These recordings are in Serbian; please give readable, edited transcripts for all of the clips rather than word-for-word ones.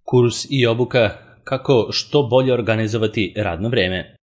Kurs i obuka kako što bolje organizovati radno vreme.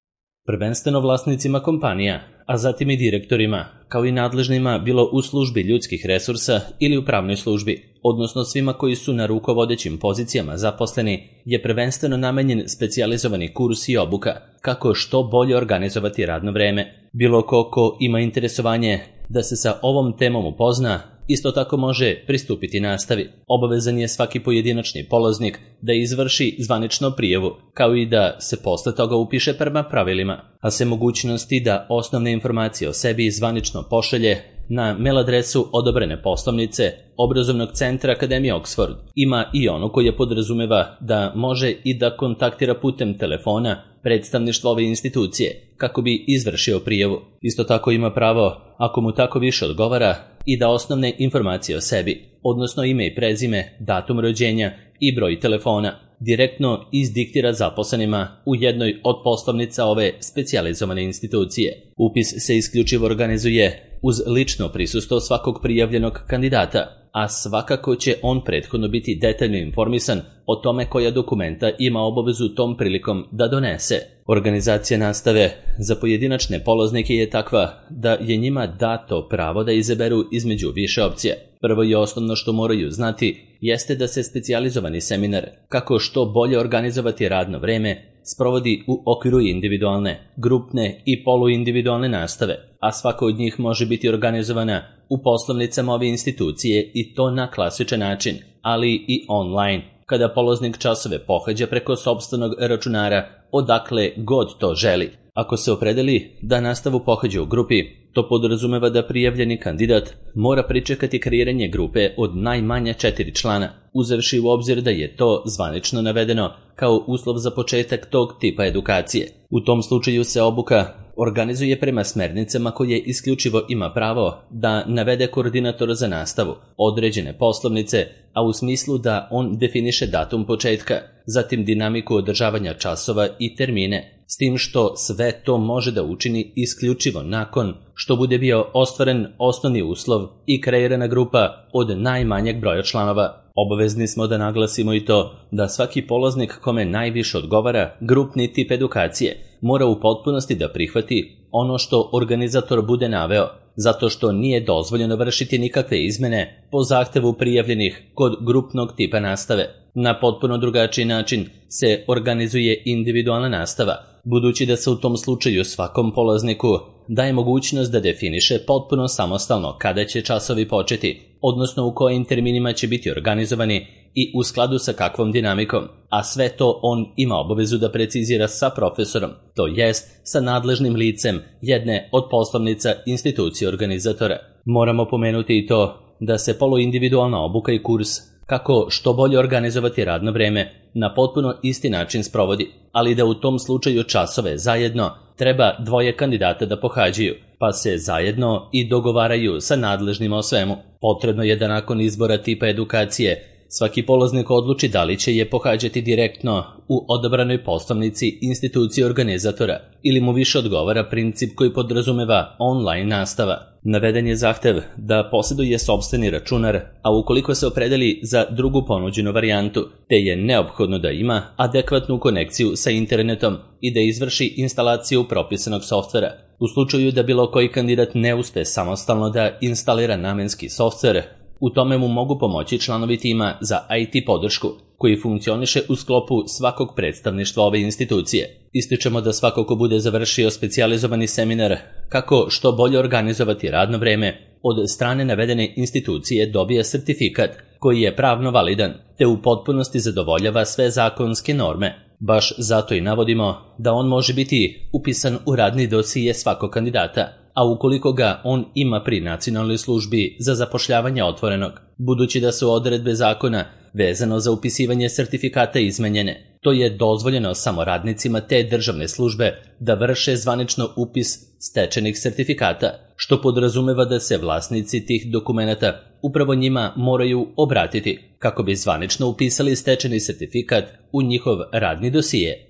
Prvenstveno vlasnicima kompanija, a zatim i direktorima, kao i nadležnima bilo u službi ljudskih resursa ili u pravnoj službi, odnosno svima koji su na rukovodećim pozicijama zaposleni, je prvenstveno namenjen specijalizovani kurs i obuka kako što bolje organizovati radno vreme. Bilo ko ima interesovanje da se sa ovom temom upozna, isto tako može pristupiti nastavi. Obavezan je svaki pojedinačni polaznik da izvrši zvanično prijavu, kao i da se posle toga upiše prema pravilima, a se mogućnosti da osnovne informacije o sebi zvanično pošalje na mail adresu odobrene poslovnice Obrazovnog centra Akademije Oxford. Ima i ono koje podrazumeva da može i da kontaktira putem telefona predstavništvo ove institucije kako bi izvršio prijavu. Isto tako ima pravo, ako mu tako više odgovara, i da osnovne informacije o sebi, odnosno ime i prezime, datum rođenja i broj telefona, direktno izdiktira zaposlenima u jednoj od poslovnica ove specijalizovane institucije. Upis se isključivo organizuje uz lično prisustvo svakog prijavljenog kandidata, a svakako će on prethodno biti detaljno informisan o tome koja dokumenta ima obavezu tom prilikom da donese. Organizacija nastave za pojedinačne polaznike je takva da je njima dato pravo da izaberu između više opcija. Prvo i osnovno što moraju znati jeste da se specijalizovani seminar kako što bolje organizovati radno vreme sprovodi u okviru individualne, grupne i poluindividualne nastave, a svaka od njih može biti organizovana u poslovnicama ove institucije i to na klasičan način, ali i online, kada polaznik časove pohađa preko sopstvenog računara odakle god to želi. Ako se opredeli da nastavu pohađa u grupi, to podrazumeva da prijavljeni kandidat mora pričekati kreiranje grupe od najmanje 4 člana, uzevši u obzir da je to zvanično navedeno kao uslov za početak tog tipa edukacije. U tom slučaju se obuka organizuje prema smernicama koje isključivo ima pravo da navede koordinator za nastavu, određene poslovnice, a u smislu da on definiše datum početka, zatim dinamiku održavanja časova i termine, s tim što sve to može da učini isključivo nakon što bude bio ostvaren osnovni uslov i kreirana grupa od najmanjeg broja članova. Obavezni smo da naglasimo i to da svaki polaznik kome najviše odgovara grupni tip edukacije mora u potpunosti da prihvati ono što organizator bude naveo, zato što nije dozvoljeno vršiti nikakve izmene po zahtevu prijavljenih kod grupnog tipa nastave. Na potpuno drugačiji način se organizuje individualna nastava, budući da se u tom slučaju svakom polazniku daje mogućnost da definiše potpuno samostalno kada će časovi početi, odnosno u kojim terminima će biti organizovani i u skladu sa kakvom dinamikom, a sve to on ima obavezu da precizira sa profesorom, to jest sa nadležnim licem jedne od poslovnica institucije organizatora. Moramo pomenuti i to da se poluindividualna obuka i kurs kako što bolje organizovati radno vreme na potpuno isti način sprovodi, ali da u tom slučaju časove zajedno treba dvoje kandidata da pohađaju, pa se zajedno i dogovaraju sa nadležnima o svemu. Potrebno je da nakon izbora tipa edukacije svaki polaznik odluči da li će je pohađati direktno u odabranoj poslovnici institucije organizatora ili mu više odgovara princip koji podrazumeva online nastava. Naveden je zahtev da posjeduje sopstveni računar, a ukoliko se opredeli za drugu ponuđenu varijantu, te je neophodno da ima adekvatnu konekciju sa internetom i da izvrši instalaciju propisanog softvera. U slučaju da bilo koji kandidat ne uspe samostalno da instalira namenski softver, u tome mu mogu pomoći članovi tima za IT podršku, koji funkcioniše u sklopu svakog predstavništva ove institucije. Ističemo da svako ko bude završio specijalizovani seminar kako što bolje organizovati radno vreme od strane navedene institucije dobije sertifikat koji je pravno validan te u potpunosti zadovoljava sve zakonske norme. Baš zato i navodimo da on može biti upisan u radni dosije svakog kandidata, a ukoliko ga on ima pri Nacionalnoj službi za zapošljavanje otvorenog, budući da su odredbe zakona vezano za upisivanje sertifikata izmenjene. To je dozvoljeno samo radnicima te državne službe da vrše zvanično upis stečenih sertifikata, što podrazumeva da se vlasnici tih dokumenata upravo njima moraju obratiti kako bi zvanično upisali stečeni sertifikat u njihov radni dosije.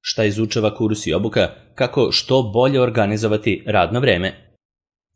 Šta izučava kurs i obuka kako što bolje organizovati radno vreme?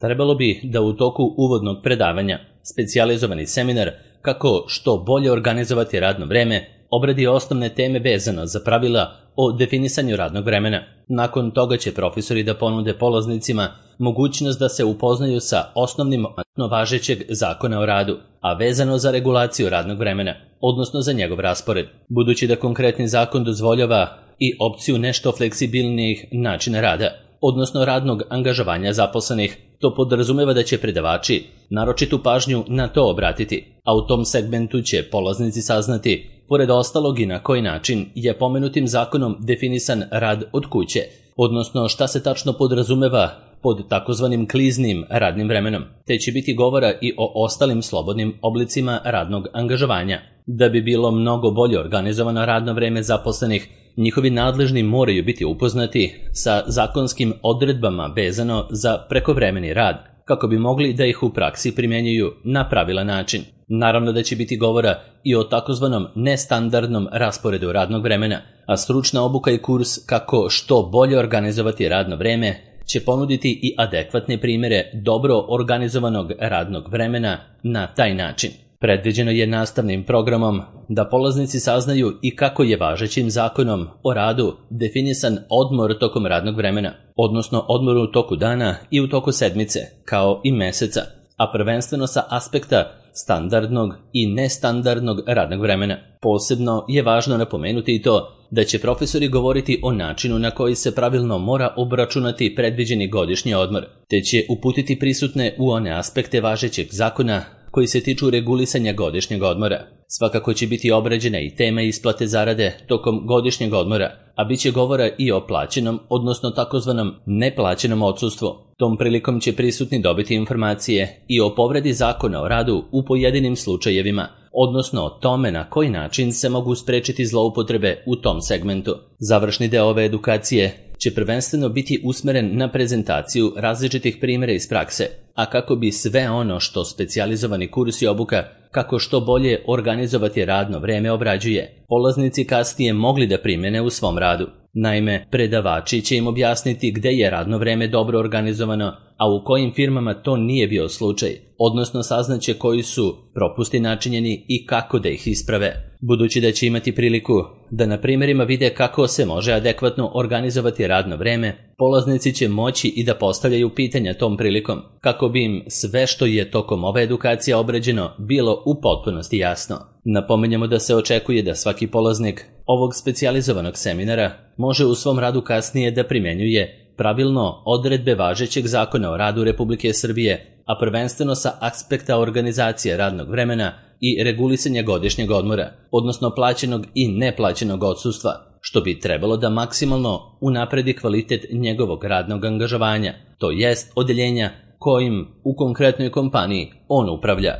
Trebalo bi da u toku uvodnog predavanja specijalizovani seminar kako što bolje organizovati radno vreme obradi osnovne teme vezano za pravila o definisanju radnog vremena. Nakon toga će profesori da ponude polaznicima mogućnost da se upoznaju sa osnovnim važećeg zakona o radu, a vezano za regulaciju radnog vremena, odnosno za njegov raspored. Budući da konkretni zakon dozvoljava i opciju nešto fleksibilnijih načina rada, odnosno radnog angažovanja zaposlenih, to podrazumeva da će predavači naročitu pažnju na to obratiti, a u tom segmentu će polaznici saznati, pored ostalog, i na koji način je pomenutim zakonom definisan rad od kuće, odnosno šta se tačno podrazumeva pod takozvanim kliznim radnim vremenom, te će biti govora i o ostalim slobodnim oblicima radnog angažovanja. Da bi bilo mnogo bolje organizovano radno vreme zaposlenih, njihovi nadležni moraju biti upoznati sa zakonskim odredbama vezano za prekovremeni rad, kako bi mogli da ih u praksi primjenjuju na pravilan način. Naravno da će biti govora i o takozvanom nestandardnom rasporedu radnog vremena, a stručna obuka i kurs kako što bolje organizovati radno vreme će ponuditi i adekvatne primjere dobro organizovanog radnog vremena na taj način. Predviđeno je nastavnim programom da polaznici saznaju i kako je važećim zakonom o radu definisan odmor tokom radnog vremena, odnosno odmor u toku dana i u toku sedmice, kao i meseca, a prvenstveno sa aspekta standardnog i nestandardnog radnog vremena. Posebno je važno napomenuti i to da će profesori govoriti o načinu na koji se pravilno mora obračunati predviđeni godišnji odmor, te će uputiti prisutne u one aspekte važećeg zakona koji se tiču regulisanja godišnjeg odmora. Svakako će biti obrađena i tema isplate zarade tokom godišnjeg odmora, a bit će govora i o plaćenom, odnosno takozvanom neplaćenom odsustvu. Tom prilikom će prisutni dobiti informacije i o povredi zakona o radu u pojedinim slučajevima, odnosno o tome na koji način se mogu sprečiti zloupotrebe u tom segmentu. Završni deo ove edukacije će prvenstveno biti usmeren na prezentaciju različitih primjera iz prakse, a kako bi sve ono što specijalizovani kurs i obuka kako što bolje organizovati radno vreme obrađuje, polaznici kasnije mogli da primjene u svom radu. Naime, predavači će im objasniti gde je radno vreme dobro organizovano, a u kojim firmama to nije bio slučaj, odnosno saznaće koji su propusti načinjeni i kako da ih isprave. Budući da će imati priliku da na primjerima vide kako se može adekvatno organizovati radno vreme, polaznici će moći i da postavljaju pitanja tom prilikom, kako bi im sve što je tokom ove edukacije obrađeno bilo u potpunosti jasno. Napominjemo da se očekuje da svaki polaznik ovog specijalizovanog seminara može u svom radu kasnije da primjenjuje pravilno odredbe važećeg zakona o radu Republike Srbije, a prvenstveno sa aspekta organizacije radnog vremena i regulisanja godišnjeg odmora, odnosno plaćenog i neplaćenog odsustva, što bi trebalo da maksimalno unapredi kvalitet njegovog radnog angažovanja, to jest odeljenja kojim u konkretnoj kompaniji on upravlja.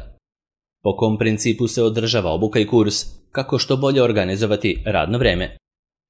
Po kom principu se održava obuka i kurs, kako što bolje organizovati radno vreme.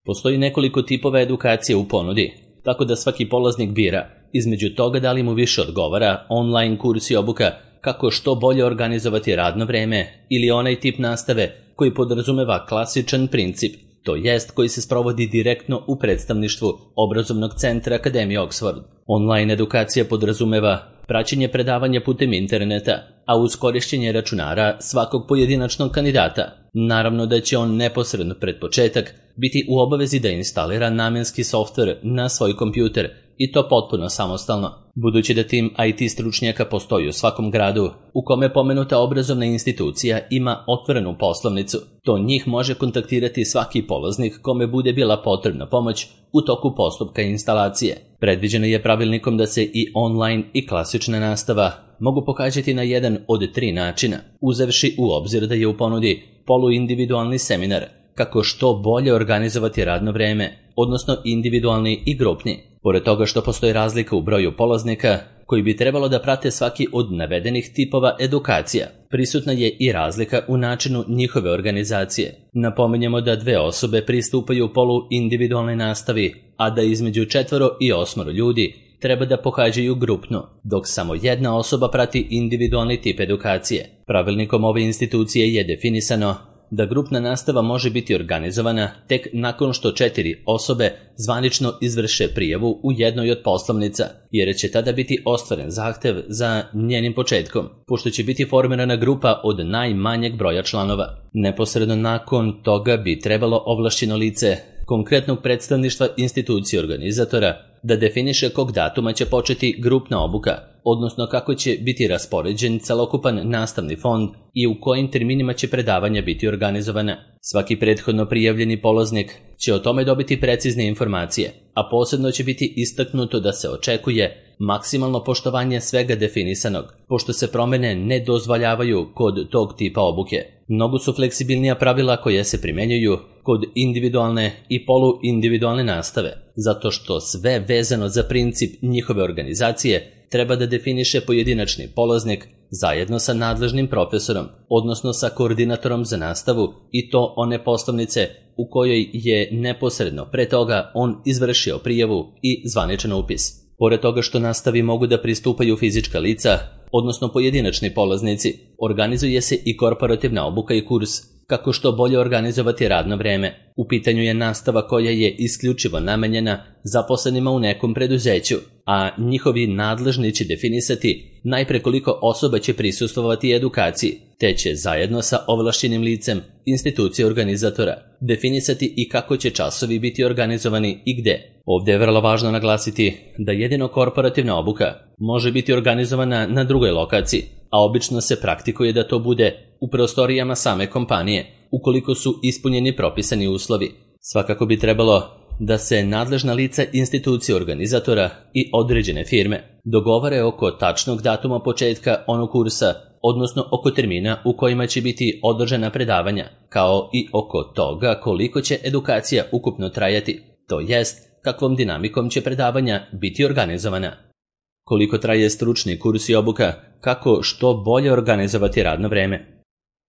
Postoji nekoliko tipova edukacije u ponudi, tako da svaki polaznik bira između toga da li mu više odgovara online kurs i obuka kako što bolje organizovati radno vreme ili onaj tip nastave koji podrazumeva klasičan princip, to jest koji se sprovodi direktno u predstavništvu obrazovnog centra Akademije Oxford. Online edukacija podrazumeva praćenje predavanja putem interneta, a uz korišćenje računara svakog pojedinačnog kandidata. Naravno da će on neposredno pred početak biti u obavezi da instalira namenski softver na svoj kompjuter, i to potpuno samostalno. Budući da tim IT stručnjaka postoji u svakom gradu u kome pomenuta obrazovna institucija ima otvorenu poslovnicu, to njih može kontaktirati svaki polaznik kome bude bila potrebna pomoć u toku postupka instalacije. Predviđeno je pravilnikom da se i online i klasična nastava mogu pohađati na jedan od 3 načina, uzevši u obzir da je u ponudi poluindividualni seminar, kako što bolje organizovati radno vreme, odnosno individualni i grupni. Pored toga što postoji razlika u broju polaznika koji bi trebalo da prate svaki od navedenih tipova edukacija, prisutna je i razlika u načinu njihove organizacije. Napominjemo da 2 osobe pristupaju poluindividualnoj nastavi, a da između 4 i 8 ljudi treba da pohađaju grupno, dok samo 1 osoba prati individualni tip edukacije. Pravilnikom ove institucije je definisano da grupna nastava može biti organizovana tek nakon što 4 osobe zvanično izvrše prijavu u jednoj od poslovnica, jer će tada biti ostvaren zahtev za njenim početkom, pošto će biti formirana grupa od najmanjeg broja članova. Neposredno nakon toga bi trebalo ovlašćeno lice konkretnog predstavništva institucije organizatora da definiše kog datuma će početi grupna obuka, odnosno kako će biti raspoređen celokupan nastavni fond i u kojim terminima će predavanja biti organizovana. Svaki prethodno prijavljeni polaznik će o tome dobiti precizne informacije, a posebno će biti istaknuto da se očekuje maksimalno poštovanje svega definisanog, pošto se promene ne dozvoljavaju kod tog tipa obuke. Mnogo su fleksibilnija pravila koje se primenjuju kod individualne i poluindividualne nastave, zato što sve vezano za princip njihove organizacije treba da definiše pojedinačni polaznik zajedno sa nadležnim profesorom, odnosno sa koordinatorom za nastavu, i to one poslovnice u kojoj je neposredno pre toga on izvršio prijavu i zvaničan upis. Pored toga što nastavi mogu da pristupaju fizička lica, odnosno pojedinačni polaznici, organizuje se i korporativna obuka i kurs kako što bolje organizovati radno vreme. U pitanju je nastava koja je isključivo namenjena zaposlenima u nekom preduzeću, a njihovi nadležni će definisati najpre koliko osoba će prisustvovati edukaciji, te će zajedno sa ovlašćenim licem institucije organizatora definisati i kako će časovi biti organizovani i gde. Ovdje je vrlo važno naglasiti da jedino korporativna obuka može biti organizovana na drugoj lokaciji, a obično se praktikuje da to bude u prostorijama same kompanije, ukoliko su ispunjeni propisani uslovi. Svakako bi trebalo da se nadležna lica institucije organizatora i određene firme dogovore oko tačnog datuma početka onog kursa, odnosno oko termina u kojima će biti održana predavanja, kao i oko toga koliko će edukacija ukupno trajati, to jest kakvom dinamikom će predavanja biti organizovana. Koliko traje stručni kurs i obuka, kako što bolje organizovati radno vreme.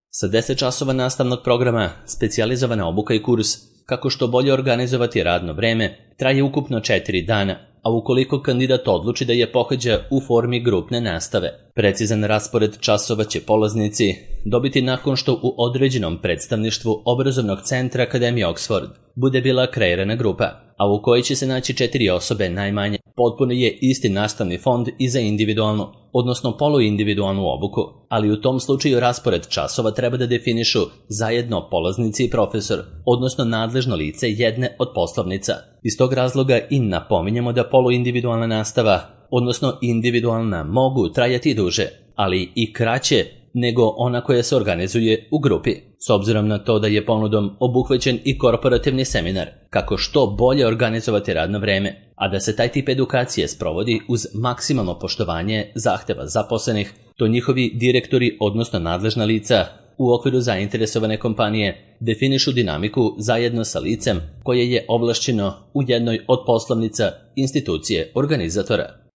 Sa 10 časova nastavnog programa, specijalizovana obuka i kurs kako što bolje organizovati radno vreme traje ukupno 4 dana, a ukoliko kandidat odluči da je pohađa u formi grupne nastave. Precizan raspored časova će polaznici dobiti nakon što u određenom predstavništvu obrazovnog centra Akademije Oxford bude bila kreirana grupa, a u kojoj će se naći 4 osobe najmanje. Potpuno je isti nastavni fond i za individualnu, odnosno poluindividualnu obuku, ali u tom slučaju raspored časova treba da definišu zajedno polaznici i profesor, odnosno nadležno lice jedne od poslovnica. Iz tog razloga i napominjemo da poluindividualna nastava, odnosno individualna, mogu trajati duže, ali i kraće nego ona koja se organizuje u grupi, s obzirom na to da je ponudom obuhvaćen i korporativni seminar, kako što bolje organizovati radno vreme, a da se taj tip edukacije sprovodi uz maksimalno poštovanje zahteva zaposlenih, to njihovi direktori, odnosno nadležna lica, u okviru zainteresovane kompanije definišu dinamiku zajedno sa licem koje je ovlašćeno u jednoj od poslovnica institucije organizatora.